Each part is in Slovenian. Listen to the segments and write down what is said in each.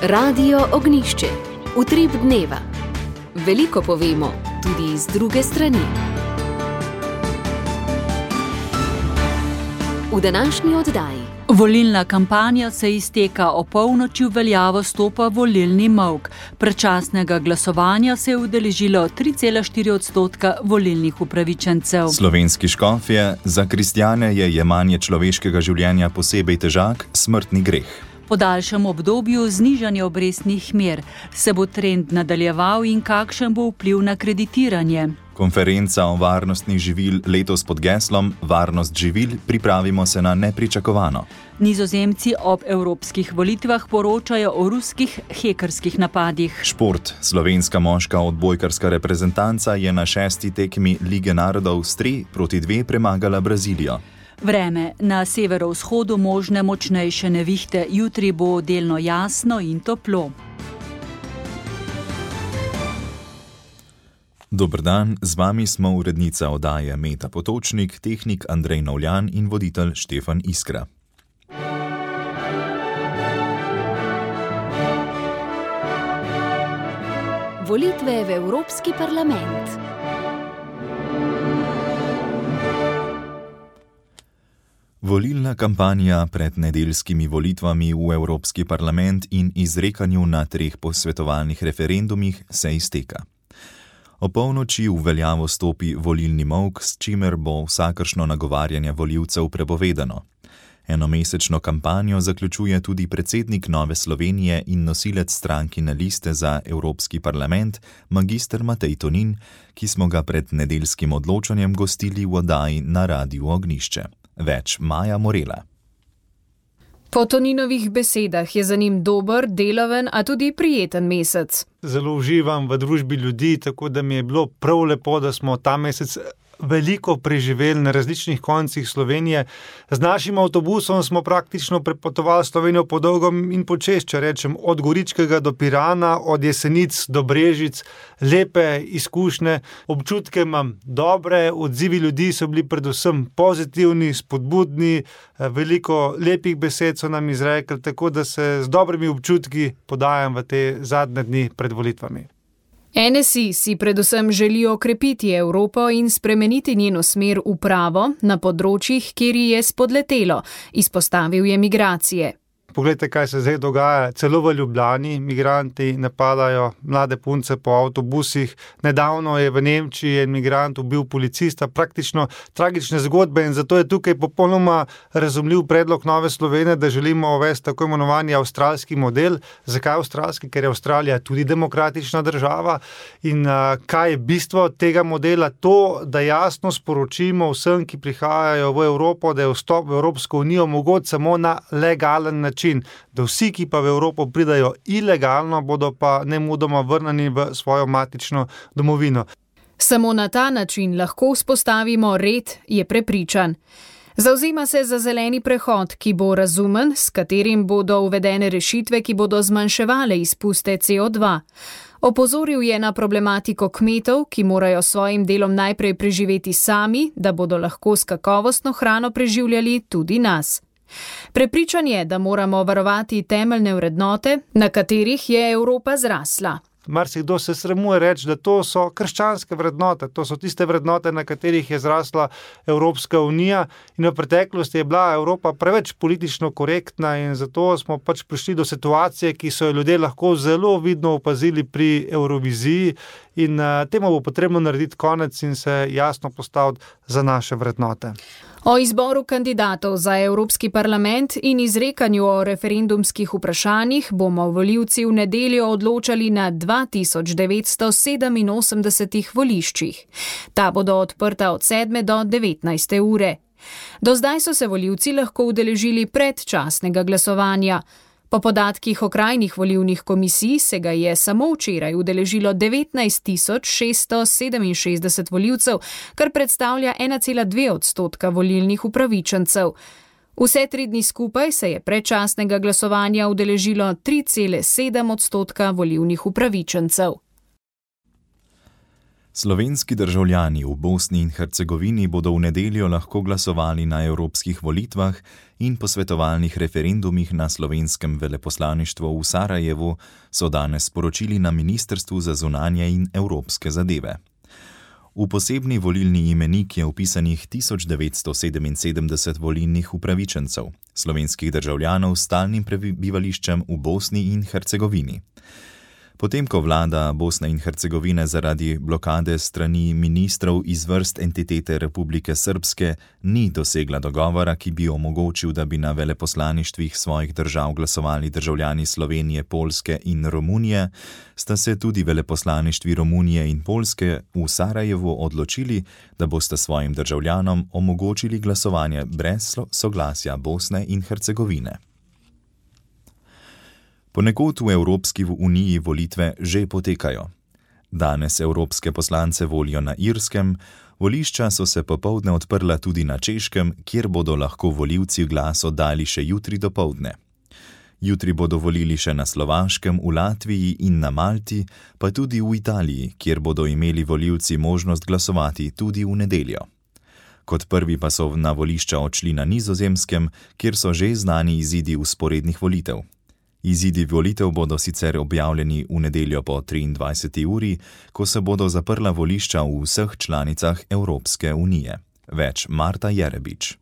Radio Ognišče, utrip dneva. Veliko povemo, tudi z druge strani. V današnji oddaji. Volilna kampanja se izteka, o polnoči v veljavo stopa volilni molk. Predčasnega glasovanja se je udeležilo 3,4% volilnih upravičencev. Slovenski škofje: za kristjane je jemanje človeškega življenja posebej težak, smrtni greh. Po daljšem obdobju znižanja obrestnih mer se bo trend nadaljeval in kakšen bo vpliv na kreditiranje. Konferenca o varnosti živil letos pod geslom Varnost živil, pripravimo se na nepričakovano. Nizozemci ob evropskih volitvah poročajo o ruskih hekerskih napadih. Šport. Slovenska moška odbojkarska reprezentanca je na 6. tekmi Lige narodov s 3-2 premagala Brazilijo. Vreme. Na severovzhodu možne močnejše nevihte, jutri bo delno jasno in toplo. Dober dan, z vami smo urednica oddaje Meta Potočnik, tehnik Andrej Novljan in voditelj Štefan Iskra. Volitve v Evropski parlament. Volilna kampanja pred nedeljskimi volitvami v Evropski parlament in izrekanju na 3 posvetovalnih referendumih se izteka. O polnoči v veljavo stopi volilni molk, s čimer bo vsakršno nagovarjanje volivcev prepovedano. Enomesečno kampanjo zaključuje tudi predsednik Nove Slovenije in nosilec strankine liste za Evropski parlament, magister Matej Tonin, ki smo ga pred nedeljskim odločanjem gostili v oddaji na Radiu Ognišče. Več Maja Morela. Po Toninovih besedah je za njim dober, deloven, a tudi prijeten mesec. Zelo uživam v družbi ljudi, tako da mi je bilo prav lepo, da smo ta mesec veliko preživeli na različnih koncih Slovenije. Z našim avtobusom smo praktično prepotovali Slovenijo po dolgom in počez, če rečem, od Goričkega do Pirana, od Jesenic do Brežic, lepe izkušnje, občutke imam dobre, odzivi ljudi so bili predvsem pozitivni, spodbudni, veliko lepih besed so nam izrekli, tako da se z dobrimi občutki podajam v te zadnje dni pred volitvami. NSI si predvsem želijo okrepiti Evropo in spremeniti njeno smer v pravo na področjih, kjer ji je spodletelo, izpostavil je migracije. Poglejte, kaj se zdaj dogaja. Celo v Ljubljani migranti napadajo mlade punce po avtobusih. Nedavno je v Nemčiji en migrant ubil policista, praktično tragične zgodbe, in zato je tukaj popolnoma razumljiv predlog Nove Slovenije, da želimo uvesti tako imenovani avstralski model. Zakaj avstralski? Ker je Avstralija tudi demokratična država. In kaj je bistvo tega modela? To, da jasno sporočimo vsem, ki prihajajo v Evropo, da je vstop v Evropsko unijo mogoč samo na legalen način. Da vsi, ki pa v Evropo pridajo ilegalno, bodo pa nemudoma vrnjeni v svojo matično domovino. Samo na ta način lahko vzpostavimo red, je prepričan. Zavzema se za zeleni prehod, ki bo razumen, s katerim bodo uvedene rešitve, ki bodo zmanjševale izpuste CO2. Opozoril je na problematiko kmetov, ki morajo s svojim delom najprej preživeti sami, da bodo lahko s kakovostno hrano preživljali tudi nas. Prepričan je, da moramo varovati temeljne vrednote, na katerih je Evropa zrasla. Marsikdo se sramuje reči, da to so krščanske vrednote, to so tiste vrednote, na katerih je zrasla Evropska unija, in v preteklosti je bila Evropa preveč politično korektna in zato smo pač prišli do situacije, ki so jo ljudje lahko zelo vidno opazili pri Euroviziji, in temu bo potrebno narediti konec in se jasno postaviti za naše vrednote. O izboru kandidatov za Evropski parlament in izrekanju o referendumskih vprašanjih bomo volivci v nedeljo odločali na 2987 voliščih. Ta bodo odprta od 7 do 19 ure. Do zdaj so se volivci lahko udeležili predčasnega glasovanja. Po podatkih okrajnih volilnih komisij se ga je samo včeraj udeležilo 19.667 volivcev, kar predstavlja 1,2% volilnih upravičencev. Vse 3 dni skupaj se je predčasnega glasovanja udeležilo 3,7% volilnih upravičencev. Slovenski državljani v Bosni in Hercegovini bodo v nedeljo lahko glasovali na evropskih volitvah in posvetovalnih referendumih na slovenskem veleposlaništvu v Sarajevu, so danes sporočili na Ministrstvu za zunanje in evropske zadeve. V posebni volilni imenik je vpisanih 1977 volilnih upravičencev, slovenskih državljanov s stalnim prebivališčem v Bosni in Hercegovini. Potem, ko vlada Bosne in Hercegovine zaradi blokade strani ministrov iz vrst entitete Republike Srpske ni dosegla dogovora, ki bi omogočil, da bi na veleposlaništvih svojih držav glasovali državljani Slovenije, Poljske in Romunije, sta se tudi veleposlaništvi Romunije in Poljske v Sarajevu odločili, da bosta svojim državljanom omogočili glasovanje brez soglasja Bosne in Hercegovine. Ponekod v Evropski uniji volitve že potekajo. Danes evropske poslance volijo na Irskem, volišča so se popoldne odprla tudi na Češkem, kjer bodo lahko volivci glas oddali še jutri dopoldne. Jutri bodo volili še na Slovaškem, v Latviji in na Malti, pa tudi v Italiji, kjer bodo imeli volivci možnost glasovati tudi v nedeljo. Kot prvi pa so na volišča odšli na Nizozemskem, kjer so že znani izidi vzporednih volitev. Izidi volitev bodo sicer objavljeni v nedeljo po 23. uri, ko se bodo zaprla volišča v vseh članicah Evropske unije. Več Marta Jerebič.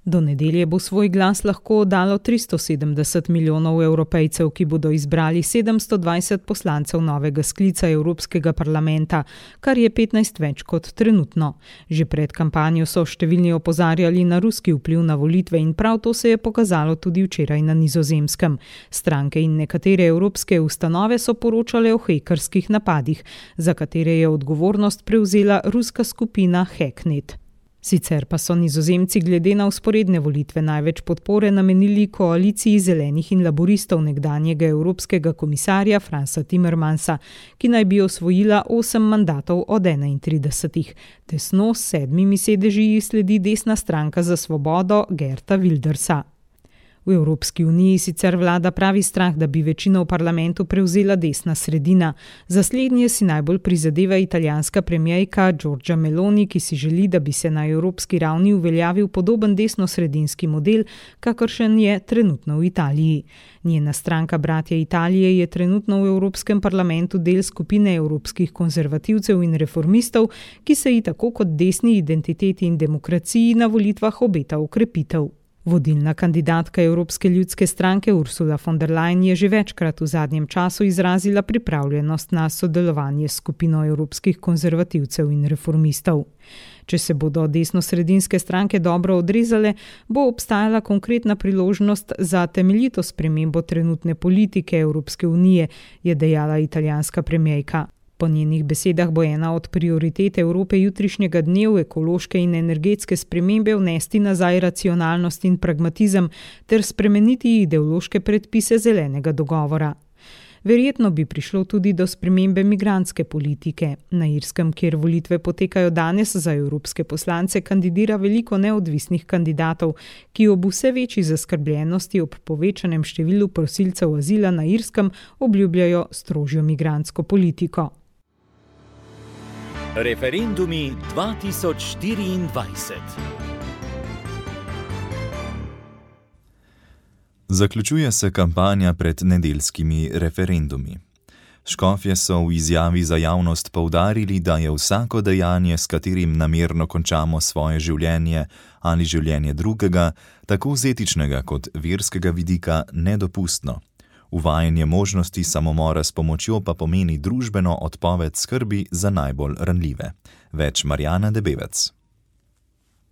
Do nedelje bo svoj glas lahko oddalo 370 milijonov Evropejcev, ki bodo izbrali 720 poslancev novega sklica Evropskega parlamenta, kar je 15 več kot trenutno. Že pred kampanjo so številni opozarjali na ruski vpliv na volitve in prav to se je pokazalo tudi včeraj na Nizozemskem. Stranke in nekatere evropske ustanove so poročale o hekerskih napadih, za katere je odgovornost prevzela ruska skupina Hacknet. Sicer pa so Nizozemci glede na vzporedne volitve največ podpore namenili koaliciji zelenih in laboristov nekdanjega evropskega komisarja Fransa Timmermansa, ki naj bi osvojila 8 mandatov od 31. Tesno s 7 sedeži sledi desna stranka za svobodo Geerta Wildersa. V Evropski uniji sicer vlada pravi strah, da bi večino v parlamentu prevzela desna sredina. Za slednje si najbolj prizadeva italijanska premierka Giorgia Meloni, ki si želi, da bi se na evropski ravni uveljavil podoben desnosredinski model, kakršen je trenutno v Italiji. Njena stranka Bratje Italije je trenutno v Evropskem parlamentu del skupine evropskih konzervativcev in reformistov, ki se ji tako kot desni identiteti in demokraciji na volitvah obeta okrepitev. Vodilna kandidatka Evropske ljudske stranke Ursula von der Leyen je že večkrat v zadnjem času izrazila pripravljenost na sodelovanje s skupino evropskih konzervativcev in reformistov. Če se bodo desnosredinske stranke dobro odrezale, bo obstajala konkretna priložnost za temeljito spremembo trenutne politike Evropske unije, je dejala italijanska premierka. Po njenih besedah bo ena od prioritet Evrope jutrišnjega dne v ekološke in energetske spremembe vnesti nazaj racionalnost in pragmatizem ter spremeniti ideološke predpise zelenega dogovora. Verjetno bi prišlo tudi do spremembe migrantske politike. Na Irskem, kjer volitve potekajo danes, za evropske poslance kandidira veliko neodvisnih kandidatov, ki ob vse večji zaskrbljenosti ob povečanem številu prosilcev azila na Irskem obljubljajo strožjo migrantsko politiko. Referendumi 2024. Zaključuje se kampanja pred nedeljskimi referendumi. Škofje so v izjavi za javnost poudarili, da je vsako dejanje, s katerim namerno končamo svoje življenje ali življenje drugega, tako z etičnega kot verskega vidika, nedopustno. Uvajanje možnosti samomora s pomočjo pa pomeni družbeno odpoved skrbi za najbolj ranljive. Več Marjana Debevec.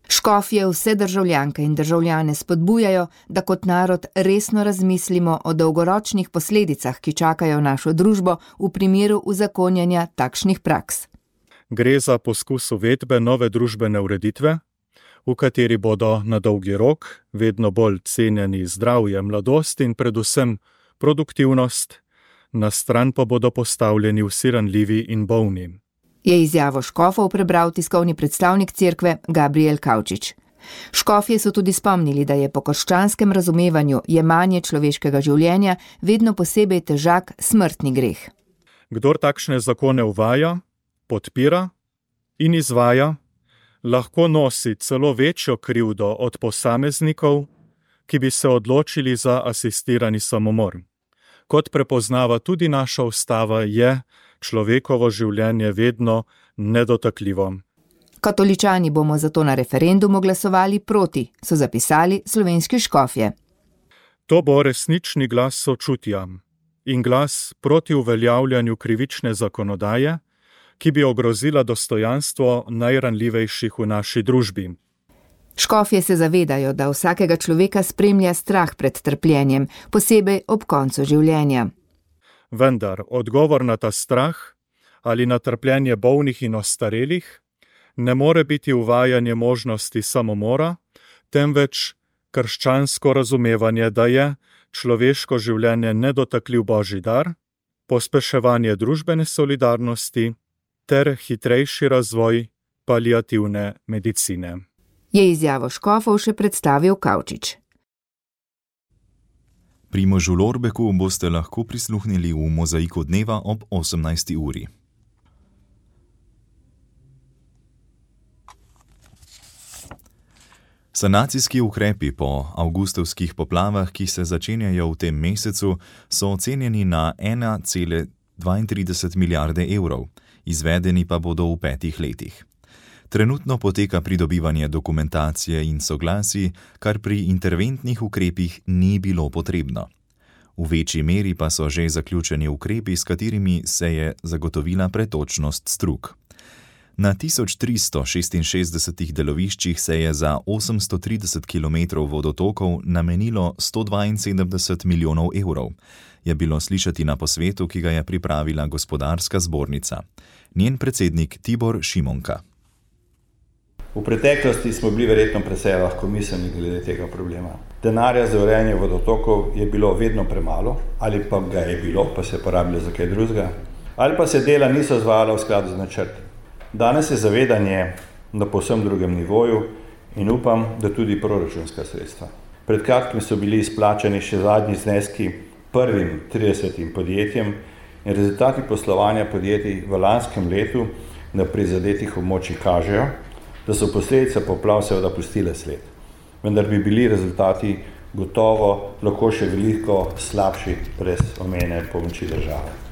Škofje vse državljanke in državljane spodbujajo, da kot narod resno razmislimo o dolgoročnih posledicah, ki čakajo našo družbo v primeru uzakonjanja takšnih praks. Gre za poskus uvedbe nove družbene ureditve, v kateri bodo na dolgi rok vedno bolj cenjeni zdravje, mladost in predvsem produktivnost, na stran pa bodo postavljeni vsi ranljivi in bolni. Je izjavo škofov prebral tiskovni predstavnik cerkve Gabriel Kavčič. Škofje so tudi spomnili, da je po krščanskem razumevanju jemanje človeškega življenja vedno posebej težak smrtni greh. Kdor takšne zakone uvaja, podpira in izvaja, lahko nosi celo večjo krivdo od posameznikov, ki bi se odločili za asistirani samomor. Kot prepoznava tudi naša ustava, je človekovo življenje vedno nedotakljivo. Katoličani bomo zato na referendumu glasovali proti, so zapisali slovenski škofje. To bo resnični glas sočutja in glas proti uveljavljanju krivične zakonodaje, ki bi ogrozila dostojanstvo najranljivejših v naši družbi. Škofje se zavedajo, da vsakega človeka spremlja strah pred trpljenjem, posebej ob koncu življenja. Vendar odgovor na ta strah ali na trpljenje bolnih in ostarelih ne more biti uvajanje možnosti samomora, temveč krščansko razumevanje, da je človeško življenje nedotakljiv božji dar, pospeševanje družbene solidarnosti ter hitrejši razvoj paliativne medicine. Je izjavo škofov še predstavil Kavčič. Primožu Lorbeku boste lahko prisluhnili v Mozaiku dneva ob 18. uri. Sanacijski ukrepi po avgustovskih poplavah, ki se začenjajo v tem mesecu, so ocenjeni na 1,32 milijarde evrov, izvedeni pa bodo v 5 letih. Trenutno poteka pridobivanje dokumentacije in soglasij, kar pri interventnih ukrepih ni bilo potrebno. V večji meri pa so že zaključeni ukrepi, s katerimi se je zagotovila pretočnost strug. Na 1366 deloviščih se je za 830 km vodotokov namenilo 172 milijonov evrov, je bilo slišati na posvetu, ki ga je pripravila Gospodarska zbornica. Njen predsednik Tibor Šimonka. V preteklosti smo bili verjetno precej lahkomiselni glede tega problema. Denarja za urejanje vodotokov je bilo vedno premalo, ali pa ga je bilo, pa se je porabilo za kaj drugega, ali pa se dela niso izvajala v skladu z načrti. Danes je zavedanje na povsem drugem nivoju in upam, da tudi proračunska sredstva. Pred kratkim so bili izplačani še zadnji zneski prvim 30 podjetjem in rezultati poslovanja podjetij v lanskem letu na prizadetih območjih kažejo, da so posledice poplav seveda pustile sled. Vendar bi bili rezultati gotovo lahko še veliko slabši brez omenjene pomoči države.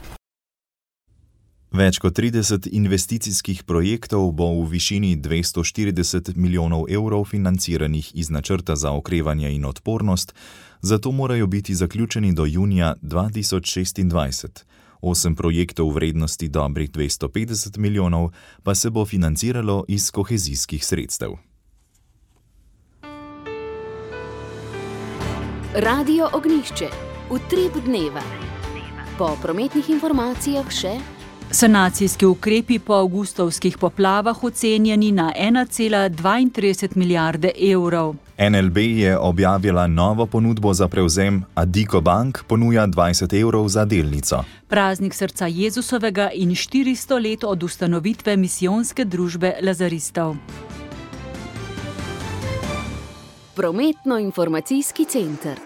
Več kot 30 investicijskih projektov bo v višini 240 milijonov evrov financiranih iz načrta za okrevanje in odpornost, zato morajo biti zaključeni do junija 2026. 8 projektov v vrednosti dobrih 250 milijonov pa se bo financiralo iz kohezijskih sredstev. Radio Ognjišče, utrip dneva. Po prometnih informacijah še Sanacijski ukrepi po avgustovskih poplavah ocenjeni na 1,32 milijarde evrov. NLB je objavila novo ponudbo za prevzem, Addiko Bank ponuja 20 evrov za delnico. Praznik srca Jezusovega in 400 let od ustanovitve misijonske družbe lazaristov. Prometno-informacijski center.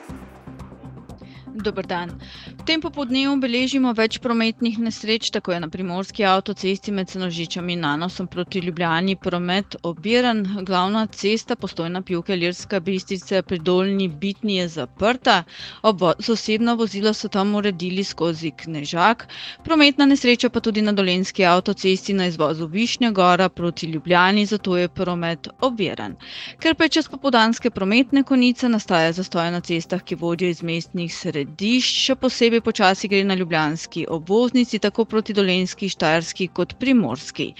Dober dan. V tem popoldnevu beležimo več prometnih nesreč, tako je na primorski avtocesti med Senožičem in Nanosom proti Ljubljani promet oviran. Glavna cesta Postojna-Pivka Ilirska Bistrica pri Dolnji Bitni je zaprta. Osebna vozila so tam uredili skozi Knežak. Prometna nesreča pa tudi na dolenjski avtocesti na izvozu Višnja Gora proti Ljubljani, zato je promet oviran. Ker pa je čez popoldanske prometne konice, nastaja zastoj na cestah, ki vodijo iz mestnih središč, še posebej počasi gre na ljubljanski obvoznici, tako proti dolenjski, štajerski kot primorski.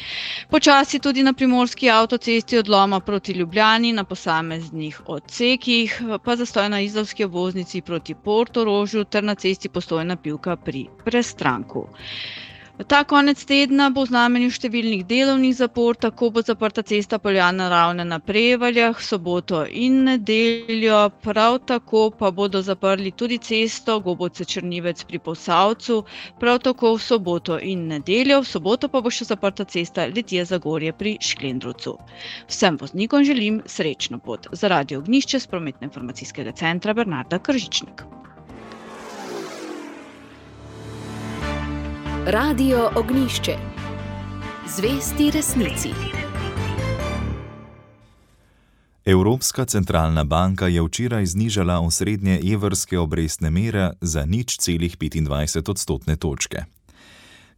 Počasi tudi na primorski avtocesti odloma proti Ljubljani na posameznih odsekih, pa zastoj na izolski obvoznici proti Portorožu ter na cesti Postojna-Pivka pri Prestranku. Ta konec tedna bo v znamenju številnih delovnih zapor, tako bo zaprta cesta Poljana Ravne na Prevaljah, soboto in nedeljo, prav tako pa bodo zaprli tudi cesto Gobovce-Črnivec pri Posavcu, prav tako v soboto in nedeljo, v soboto pa bo še zaprta cesta Litije-Zagorje pri Šklendrovcu. Vsem voznikom želim srečno pot. Za Radio Ognjišče s Prometno-informacijskega centra Bernarda Kržičnik. Radio Ognjišče. Zvesti resnici. Evropska centralna banka je včeraj znižala osrednje evrske obrestne mere za 0,25 odstotne točke.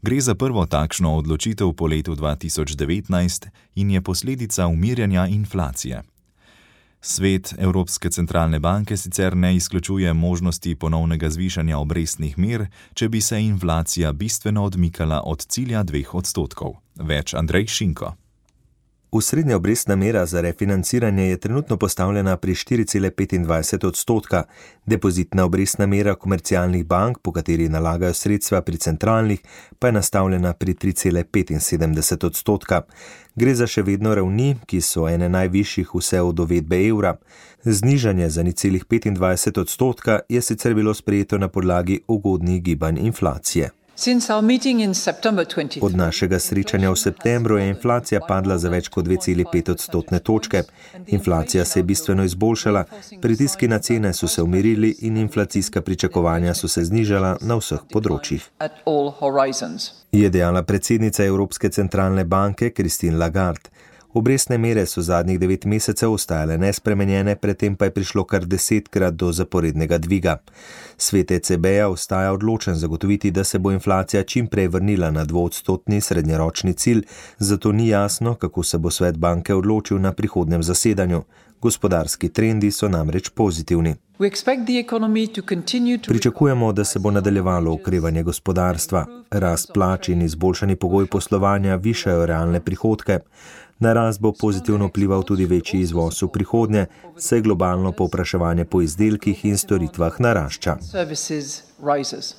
Gre za prvo takšno odločitev po letu 2019 in je posledica umirjanja inflacije. Svet Evropske centralne banke sicer ne izključuje možnosti ponovnega zvišanja obrestnih mer, če bi se inflacija bistveno odmikala od cilja 2 odstotkov. Več Andrej Šinko. Osrednja obrestna mera za refinanciranje je trenutno postavljena pri 4,25 odstotka, depozitna obrestna mera komercialnih bank, po kateri nalagajo sredstva pri centralnih, pa je nastavljena pri 3,75 odstotka. Gre za še vedno ravni, ki so ene najvišjih vse od uvedbe evra. Znižanje za 0,25 odstotka je sicer bilo sprejeto na podlagi ugodnih gibanj inflacije. Od našega srečanja v septembru je inflacija padla za več kot 2,5 odstotne točke. Inflacija se je bistveno izboljšala, pritiski na cene so se umirili in inflacijska pričakovanja so se znižala na vseh področjih. Je dejala predsednica Evropske centralne banke Christine Lagarde. Obrestne mere so zadnjih 9 mesecev ostajale nespremenjene, predtem pa je prišlo kar 10krat do zaporednega dviga. Svet ECB-ja ostaja odločen zagotoviti, da se bo inflacija čim prej vrnila na 2-odstotni srednjeročni cilj, zato ni jasno, kako se bo svet banke odločil na prihodnjem zasedanju. Gospodarski trendi so namreč pozitivni. Pričakujemo, da se bo nadaljevalo okrevanje gospodarstva. Rast plač in izboljšani pogoj poslovanja višajo realne prihodke. Na rast bo pozitivno vplival tudi večji izvoz v prihodnje, saj globalno povpraševanje po izdelkih in storitvah narašča.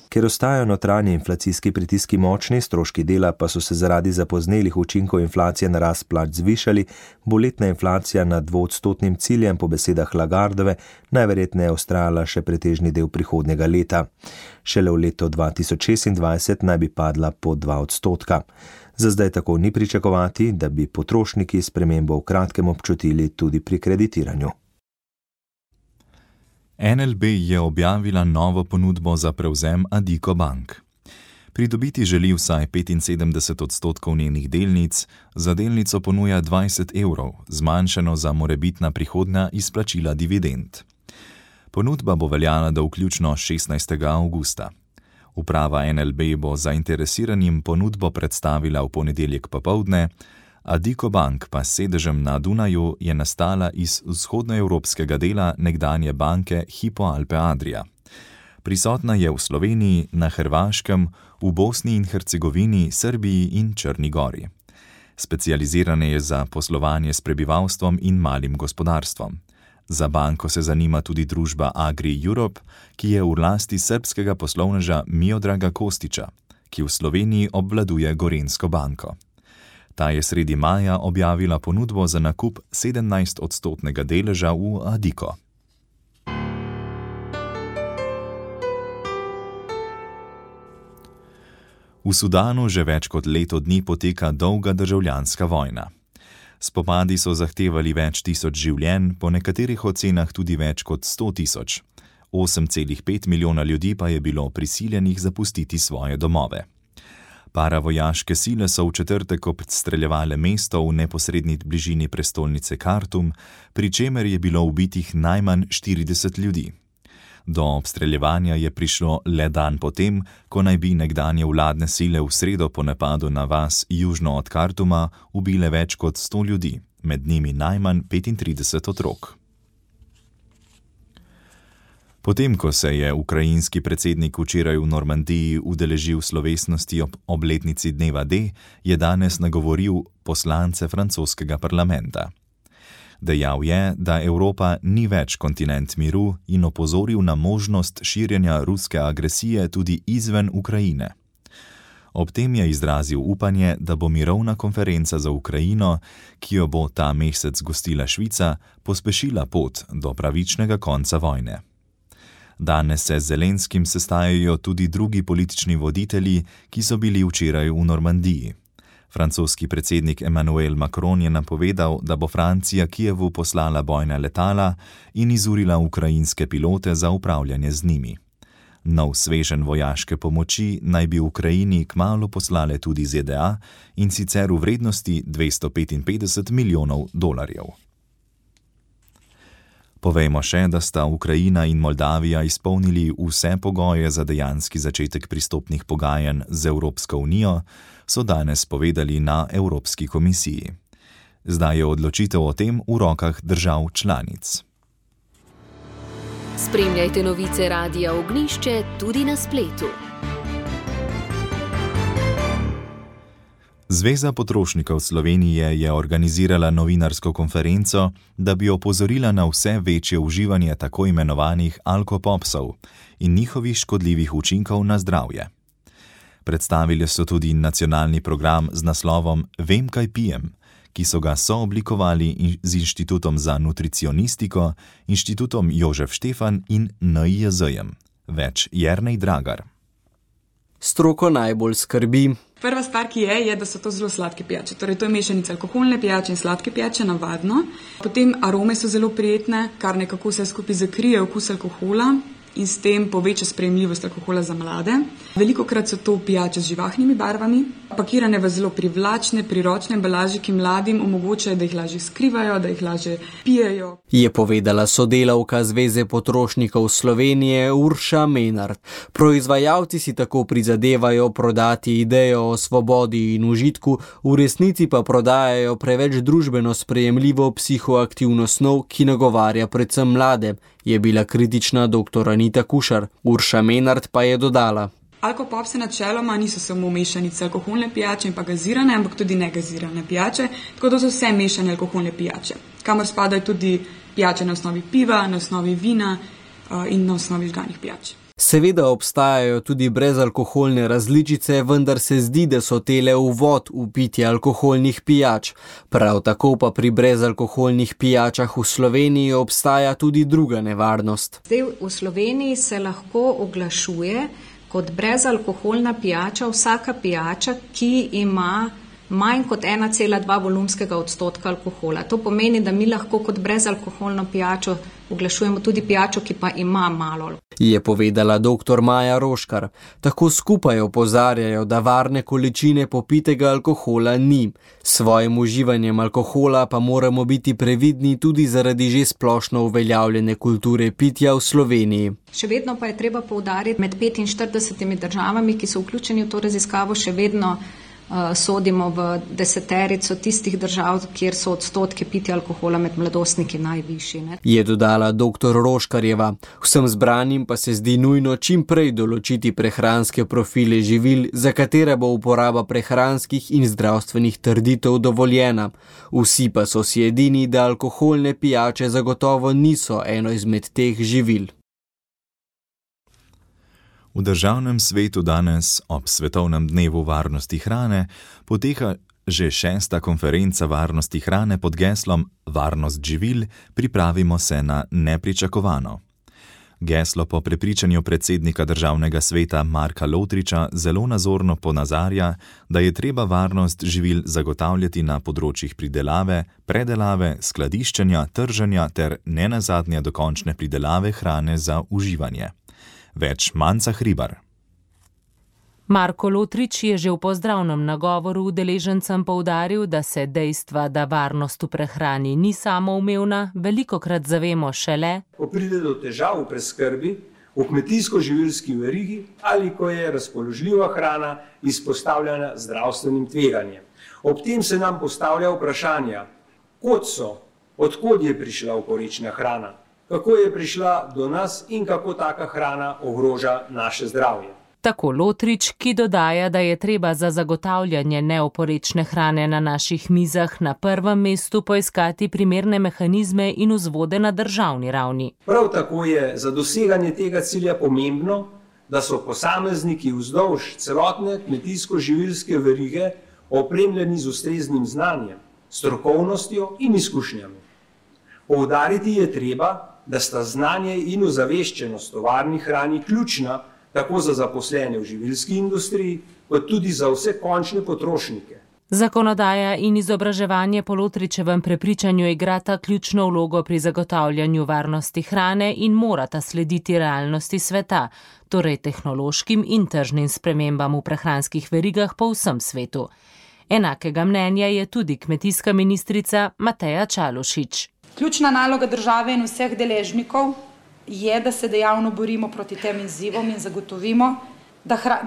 Ker ostajajo notranji inflacijski pritiski močni, stroški dela pa so se zaradi zapoznelih učinkov inflacije na rast plač zvišali, bo letna inflacija nad 2-odstotnim ciljem po besedah Lagardove najverjetneje vztrajala še pretežni del prihodnjega leta. Šele v letu 2026 naj bi padla pod 2 odstotka. Za zdaj tako ni pričakovati, da bi potrošniki spremembo v kratkem občutili tudi pri kreditiranju. NLB je objavila novo ponudbo za prevzem Addiko Bank. Pridobiti želi vsaj 75 odstotkov njenih delnic, za delnico ponuja 20 evrov, zmanjšano za morebitna prihodnja izplačila dividend. Ponudba bo veljala do vključno 16. avgusta. Uprava NLB bo zainteresiranim ponudbo predstavila v ponedeljek popoldne, Addiko Bank pa s sedežem na Dunaju je nastala iz vzhodnoevropskega dela nekdanje banke Hypo Alpe Adria. Prisotna je v Sloveniji, na Hrvaškem, v Bosni in Hercegovini, Srbiji in Črni Gori. Specializirana je za poslovanje s prebivalstvom in malim gospodarstvom. Za banko se zanima tudi družba Agri Europe, ki je v lasti srbskega poslovneža Miodraga Kostića, ki v Sloveniji obvladuje Gorenjsko banko. Ta je sredi maja objavila ponudbo za nakup 17-odstotnega deleža v Addiko. V Sudanu že več kot leto dni poteka dolga državljanska vojna. Spopadi so zahtevali več tisoč življenj, po nekaterih ocenah tudi več kot 100 tisoč. 8,5 milijona ljudi pa je bilo prisiljenih zapustiti svoje domove. Paravojaške sile so v četrtek obstreljevale mesto v neposredni bližini prestolnice Khartoum, pri čemer je bilo ubitih najmanj 40 ljudi. Do obstreljevanja je prišlo le dan potem, ko naj bi nekdanje vladne sile v sredo po napadu na vas južno od Khartouma ubile več kot 100 ljudi, med njimi najmanj 35 otrok. Potem, ko se je ukrajinski predsednik včeraj v Normandiji udeležil slovesnosti ob obletnici dneva D, je danes nagovoril poslance francoskega parlamenta. Dejal je, da Evropa ni več kontinent miru in opozoril na možnost širjenja ruske agresije tudi izven Ukrajine. Ob tem je izrazil upanje, da bo mirovna konferenca za Ukrajino, ki jo bo ta mesec gostila Švica, pospešila pot do pravičnega konca vojne. Danes se z Zelenskim sestajajo tudi drugi politični voditelji, ki so bili včeraj v Normandiji. Francoski predsednik Emmanuel Macron je napovedal, da bo Francija Kijevu poslala bojna letala in izurila ukrajinske pilote za upravljanje z njimi. Nov sveženj vojaške pomoči naj bi Ukrajini kmalu poslale tudi ZDA, in sicer v vrednosti $255 milijonov. Povejmo še, da sta Ukrajina in Moldavija izpolnili vse pogoje za dejanski začetek pristopnih pogajanj z Evropsko unijo, so danes povedali na Evropski komisiji. Zdaj je odločitev o tem v rokah držav članic. Spremljajte novice Radia Ognjišče tudi na spletu. Zveza potrošnikov Slovenije je organizirala novinarsko konferenco, da bi opozorila na vse večje uživanje tako imenovanih alkopopsov in njihovih škodljivih učinkov na zdravje. Predstavili so tudi nacionalni program z naslovom Vem, kaj pijem, ki so ga sooblikovali z Inštitutom za nutricionistiko, Inštitutom Jožef Štefan in NIJZ-jem. Več Jernej Dragar. Stroko najbolj skrbi. Prva stvar, ki je, da so to zelo sladke pijače. Torej, to je mešanica alkoholne pijače in sladke pijače, navadno. Potem arome so zelo prijetne, kar nekako vse skupaj zakrije okus alkohola in s tem poveča sprejemljivost alkohola za mlade. Velikokrat so to pijače z živahnimi barvami, pakirane v zelo privlačne, priročne embalaže, ki mladim omogočajo, da jih lažje skrivajo, da jih lažje pijejo. Je povedala sodelavka Zveze potrošnikov Slovenije Urša Menard. Proizvajalci si tako prizadevajo prodati idejo o svobodi in užitku, v resnici pa prodajajo preveč družbeno sprejemljivo psihoaktivno snov, ki nagovarja predvsem mlade, je bila kritična dr. Anita Kušar. Urša Menard pa je dodala. Alkopopse načeloma niso samo mešanice alkoholne pijače in pa gazirane, ampak tudi negazirane pijače, tako da so vse mešane alkoholne pijače, kamor spadajo tudi pijače na osnovi piva, na osnovi vina in na osnovi žganih pijač. Seveda obstajajo tudi brezalkoholne različice, vendar se zdi, da so tele uvod v pitje alkoholnih pijač. Prav tako pa pri brezalkoholnih pijačah v Sloveniji obstaja tudi druga nevarnost. Zdaj v Sloveniji se lahko oglašuje kot brezalkoholna pijača vsaka pijača, ki ima manj kot 1,2 volumskega odstotka alkohola. To pomeni, da mi lahko kot brezalkoholno pijačo oglašujemo tudi pijačo, ki pa ima malo. Je povedala dr. Maja Roškar. Tako skupaj opozarjajo, da varne količine popitega alkohola ni. S svojim uživanjem alkohola pa moramo biti previdni tudi zaradi že splošno uveljavljene kulture pitja v Sloveniji. Še vedno pa je treba poudariti, med 45 državami, ki so vključeni v to raziskavo, še vedno sodimo v deseterico tistih držav, kjer so odstotki pitja alkohola med mladostniki najvišji. Je dodala dr. Roškarjeva. Vsem zbranim pa se zdi nujno čim prej določiti prehranske profile živil, za katere bo uporaba prehranskih in zdravstvenih trditev dovoljena. Vsi pa so si edini, da alkoholne pijače zagotovo niso eno izmed teh živil. V Državnem svetu danes, ob Svetovnem dnevu varnosti hrane, poteka že 6. konferenca varnosti hrane pod geslom Varnost živil, pripravimo se na nepričakovano. Geslo po prepričanju predsednika Državnega sveta Marka Lotriča zelo nazorno ponazarja, da je treba varnost živil zagotavljati na področjih pridelave, predelave, skladiščenja, trženja ter nenazadnje dokončne pridelave hrane za uživanje. Več Manca Hribar. Marko Lotrič je že v pozdravnem nagovoru udeležencem poudaril, da se dejstva, da varnost v prehrani ni samoumevna, velikokrat zavemo šele, ko pride do težav v preskrbi, v kmetijsko-živilski verigi ali ko je razpoložljiva hrana izpostavljena zdravstvenim tveganjem. Ob tem se nam postavlja vprašanja, kot so, odkod je prišla oporečna hrana, kako je prišla do nas in kako taka hrana ogroža naše zdravje. Tako Lotrič, ki dodaja, da je treba za zagotavljanje neoporečne hrane na naših mizah na prvem mestu poiskati primerne mehanizme in vzvode na državni ravni. Prav tako je za doseganje tega cilja pomembno, da so posamezniki vzdolž celotne kmetijsko-živilske verige opremljeni z ustreznim znanjem, strokovnostjo in izkušnjami. Poudariti je treba, da sta znanje in ozaveščenost o varni hrani ključna tako za zaposlene v živilski industriji, kot tudi za vse končne potrošnike. Zakonodaja in izobraževanje po Lotričevem prepričanju igrata ključno vlogo pri zagotavljanju varnosti hrane in morata slediti realnosti sveta, torej tehnološkim in tržnim spremembam v prehranskih verigah po vsem svetu. Enakega mnenja je tudi kmetijska ministrica Mateja Čalušić. Ključna naloga države in vseh deležnikov je, da se dejavno borimo proti tem izzivom in zagotovimo,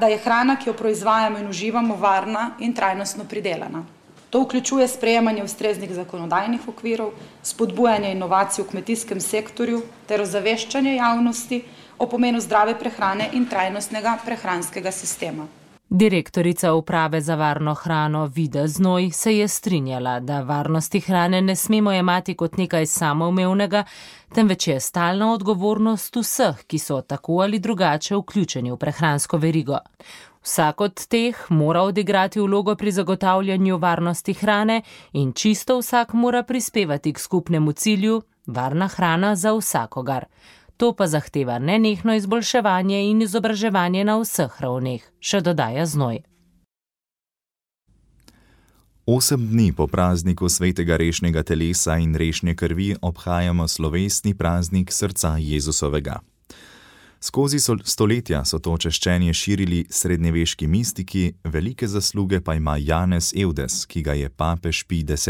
da je hrana, ki jo proizvajamo in uživamo, varna in trajnostno pridelana. To vključuje sprejemanje ustreznih zakonodajnih okvirov, spodbujanje inovacij v kmetijskem sektorju ter ozaveščanje javnosti o pomenu zdrave prehrane in trajnostnega prehranskega sistema. Direktorica uprave za varno hrano Vida Znoj se je strinjala, da varnosti hrane ne smemo jemati kot nekaj samoumevnega, temveč je stalna odgovornost vseh, ki so tako ali drugače vključeni v prehransko verigo. Vsak od teh mora odigrati vlogo pri zagotavljanju varnosti hrane in čisto vsak mora prispevati k skupnemu cilju varna hrana za vsakogar. To pa zahteva nenehno izboljševanje in izobraževanje na vseh ravneh, še dodaja Znoj. 8 dni po prazniku svetega rešnjega telesa in rešnje krvi obhajamo slovesni praznik srca Jezusovega. Skozi stoletja so to češčenje širili srednjeveški mistiki, velike zasluge pa ima Janez Evdes, ki ga je papež Pij X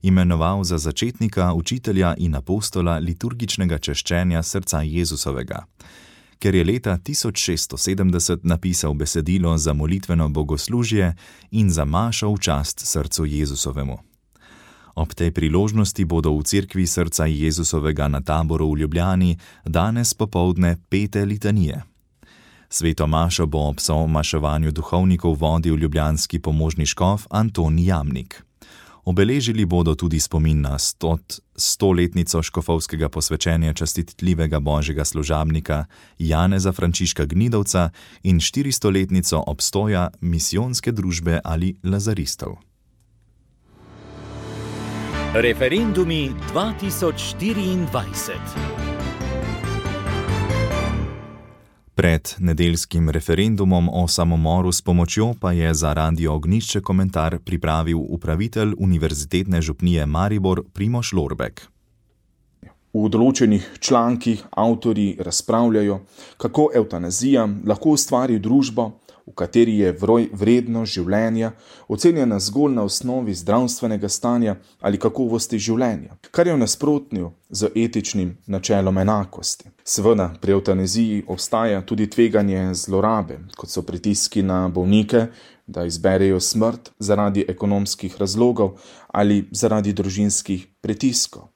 imenoval za začetnika, učitelja in apostola liturgičnega češčenja srca Jezusovega, ker je leta 1670 napisal besedilo za molitveno bogoslužje in za mašo v čast srcu Jezusovemu. Ob tej priložnosti bodo v cerkvi srca Jezusovega na Taboru v Ljubljani danes popoldne pete litanije. Sveto mašo bo ob somaševanju duhovnikov vodil ljubljanski pomožni škof Anton Jamnik. Obeležili bodo tudi spomin na 100-letnico škofovskega posvečenja častitljivega božjega služabnika Janeza Frančiška Gnidovca in 400-letnico obstoja misijonske družbe ali lazaristov. Referendumi 2024. Pred nedeljskim referendumom o samomoru s pomočjo pa je za Radio Ognjišče komentar pripravil upravitelj Univerzitetne župnije Maribor Primož Lorbek. V določenih člankih avtorji razpravljajo, kako evtanazija lahko ustvari družbo, v kateri je vrednost življenja ocenjena zgolj na osnovi zdravstvenega stanja ali kakovosti življenja, kar je v nasprotju z etičnim načelom enakosti. Seveda pri evtanaziji obstaja tudi tveganje zlorabe, kot so pritiski na bolnike, da izberejo smrt zaradi ekonomskih razlogov ali zaradi družinskih pritiskov.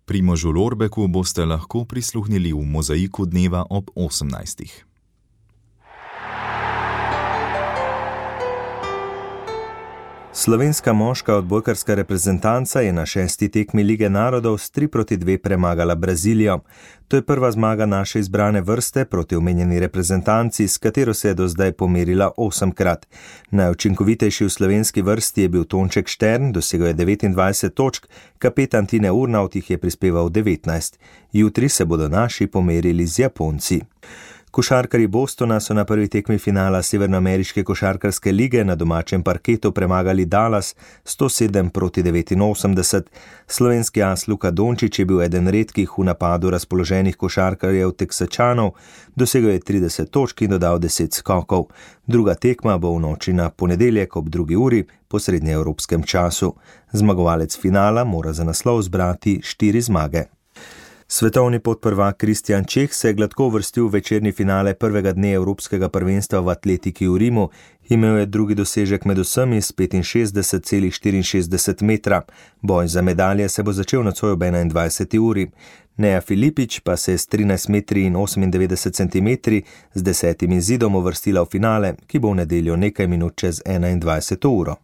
Primožu Lorbeku boste lahko prisluhnili v Mozaiku dneva ob 18. Slovenska moška odbojkarska reprezentanca je na 6. tekmi Lige narodov s 3-2 premagala Brazilijo. To je prva zmaga naše izbrane vrste proti omenjeni reprezentanci, s katero se je do zdaj pomerila 8-krat. Najučinkovitejši v slovenski vrsti je bil Tonček Štern, dosegel je 29 točk, kapetan Tine Urnaut jih je prispeval 19. Jutri se bodo naši pomerili z Japonci. Košarkarji Bostona so na prvi tekmi finala Severnoameriške košarkarske lige na domačem parketu premagali Dallas 107-89. Slovenski as Luka Dončić je bil eden redkih v napadu razpoloženih košarkarjev Teksačanov, dosegel je 30 točk in dodal 10 skokov. Druga tekma bo v noči na ponedeljek ob 2. uri po srednjeevropskem času. Zmagovalec finala mora za naslov zbrati 4 zmage. Svetovni podprvak Kristjan Čeh se je gladko uvrstil v večerni finale prvega dne Evropskega prvenstva v atletiki v Rimu. Imel je drugi dosežek med vsemi s 65,64 metra. Boj za medalje se bo začel nocoj ob 21. uri. Neja Filipič pa se je s 13 metri in 98 centimetri z 10. zidom uvrstila v finale, ki bo v nedeljo nekaj minut čez 21. uro.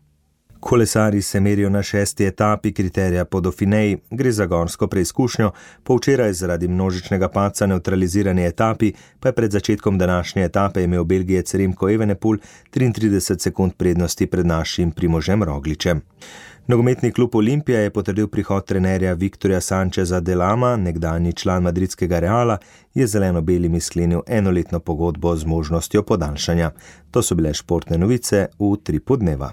Kolesarji se merijo na 6. etapi kriterija po Dauphineji, gre za gorsko preizkušnjo, po včeraj zaradi množičnega padca neutralizirani etapi, pa je pred začetkom današnje etape imel Belgijec Remco Evenepoel 33 sekund prednosti pred našim Primožem Rogličem. Nogometni klub Olimpija je potrdil prihod trenerja Viktorja Sancheza Delama, nekdanji član madridskega Reala, je zeleno-belimi sklenil enoletno pogodbo z možnostjo podaljšanja. To so bile športne novice v 3 podneva.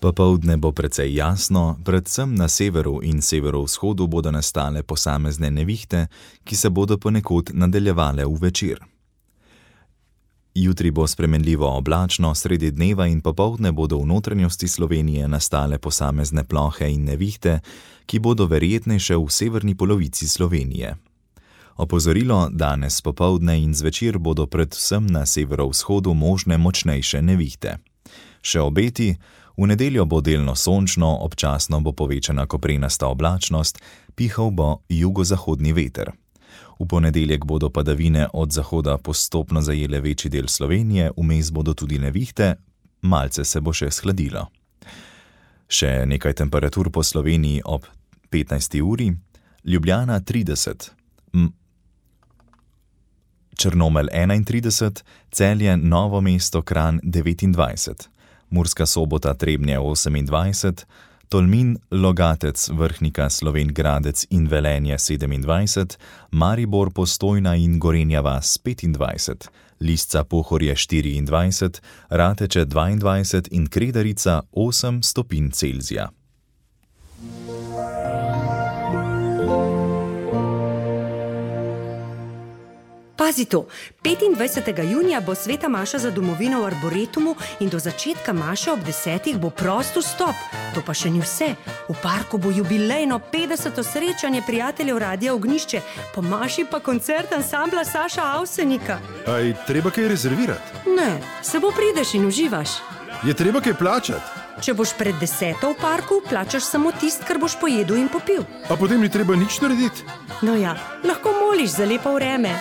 Popoldne bo precej jasno, predvsem na severu in severovzhodu bodo nastale posamezne nevihte, ki se bodo ponekod nadaljevale v večer. Jutri bo spremenljivo oblačno, sredi dneva in popoldne bodo v notranjosti Slovenije nastale posamezne plohe in nevihte, ki bodo verjetnejše v severni polovici Slovenije. Opozorilo, danes popoldne in zvečer bodo predvsem na severovzhodu možne močnejše nevihte. Še obeti, v nedeljo bo delno sončno, občasno bo povečana koprenasta oblačnost, pihal bo jugozahodni veter. V ponedeljek bodo padavine od zahoda postopno zajele večji del Slovenije, vmes bodo tudi nevihte, malce se bo še shladilo. Še nekaj temperatur po Sloveniji ob 15. uri, Ljubljana 30, Črnomelj 31, Celje, Novo mesto, Kranj 29, Murska Sobota, Trebnje 28, Tolmin, Logatec, Vrhnika, Slovenj Gradec in Velenje 27, Maribor, Postojna in Gorenja vas 25, Lisca, Pohorje 24, Rateče 22 in Kredarica 8 stopinj Celzija. Pazi to, 25. junija bo sveta maša za domovino v Arboretumu in do začetka maše ob 10. bo prost vstop. To pa še ni vse. V parku bo jubilejno 50. srečanje prijateljev Radia Ognjišče, po maši pa koncert ansambla Saša Avsenika. Aj treba kaj rezervirati? Ne, samo prideš in uživaš. Je treba kaj plačati? Če boš pred 10. v parku, plačaš samo tist, kar boš pojedel in popil. A potem ni treba nič narediti? No ja, lahko moliš za lepo vreme.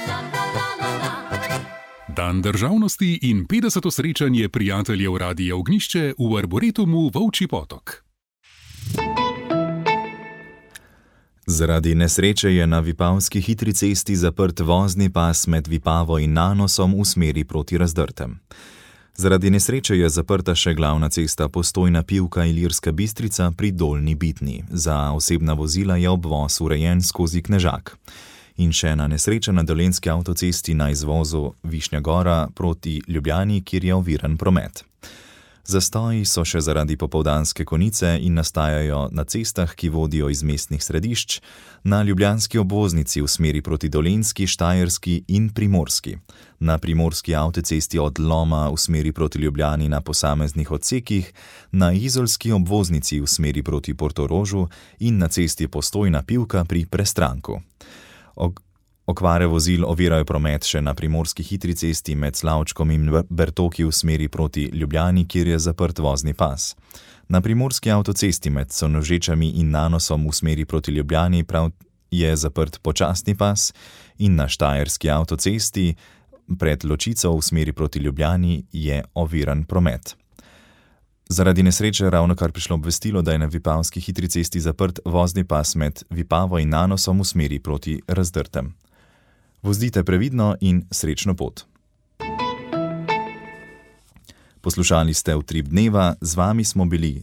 Dan državnosti in 50. srečanje prijateljev Radia Ognjišče v Arboretumu Volčji Potok. Zaradi nesreče je na Vipavski hitri cesti zaprt vozni pas med Vipavo in Nanosom v smeri proti Razdrtem. Zaradi nesreče je zaprta še glavna cesta Postojna-Pivka-Ilirska Bistrica pri Dolnji Bitni. Za osebna vozila je obvoz urejen skozi Knežak. In še ena nesreča na dolenjski avtocesti na izvozu Višnja Gora proti Ljubljani, kjer je oviran promet. Zastoji so še zaradi popoldanske konice in nastajajo na cestah, ki vodijo iz mestnih središč, na ljubljanski obvoznici v smeri proti Dolenjski, Štajerski in Primorski. Na primorski avtocesti od Loma v smeri proti Ljubljani na posameznih odsekih, na izolski obvoznici v smeri proti Portorožu in na cesti Postojna-Pivka pri Prestranku. Okvare vozil ovirajo promet še na primorski hitri cesti med Slavčkom in Bertoki v smeri proti Ljubljani, kjer je zaprt vozni pas. Na primorski avtocesti med Sonožečami in Nanosom v smeri proti Ljubljani prav je zaprt počasni pas in na štajerski avtocesti pred Ločico v smeri proti Ljubljani je oviran promet. Zaradi nesreče ravnokar prišlo obvestilo, da je na Vipavski hitri cesti zaprt vozni pas med Vipavo in Nanosom v smeri proti Razdrtem. Vozdite previdno in srečno pot. Poslušali ste Utrip dneva, z vami smo bili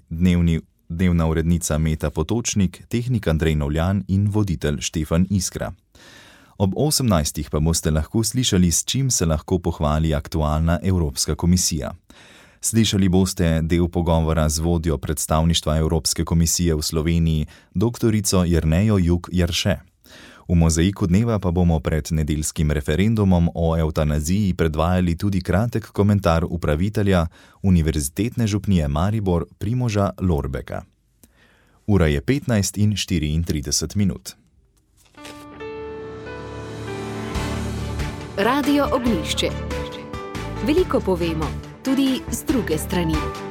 dnevna urednica Meta Potočnik, tehnik Andrej Novljan in voditelj Štefan Iskra. Ob 18. pa boste lahko slišali, s čim se lahko pohvali aktualna Evropska komisija. Slišali boste del pogovora z vodjo predstavništva Evropske komisije v Sloveniji, doktorico Jernejo Juk Jarše. V mozaiku dneva pa bomo pred nedeljskim referendumom o evtanaziji predvajali tudi kratek komentar upravitelja Univerzitetne župnije Maribor Primoža Lorbeka. Ura je 15:34. Radio Ognjišče. Veliko povemo, tudi z druge strani.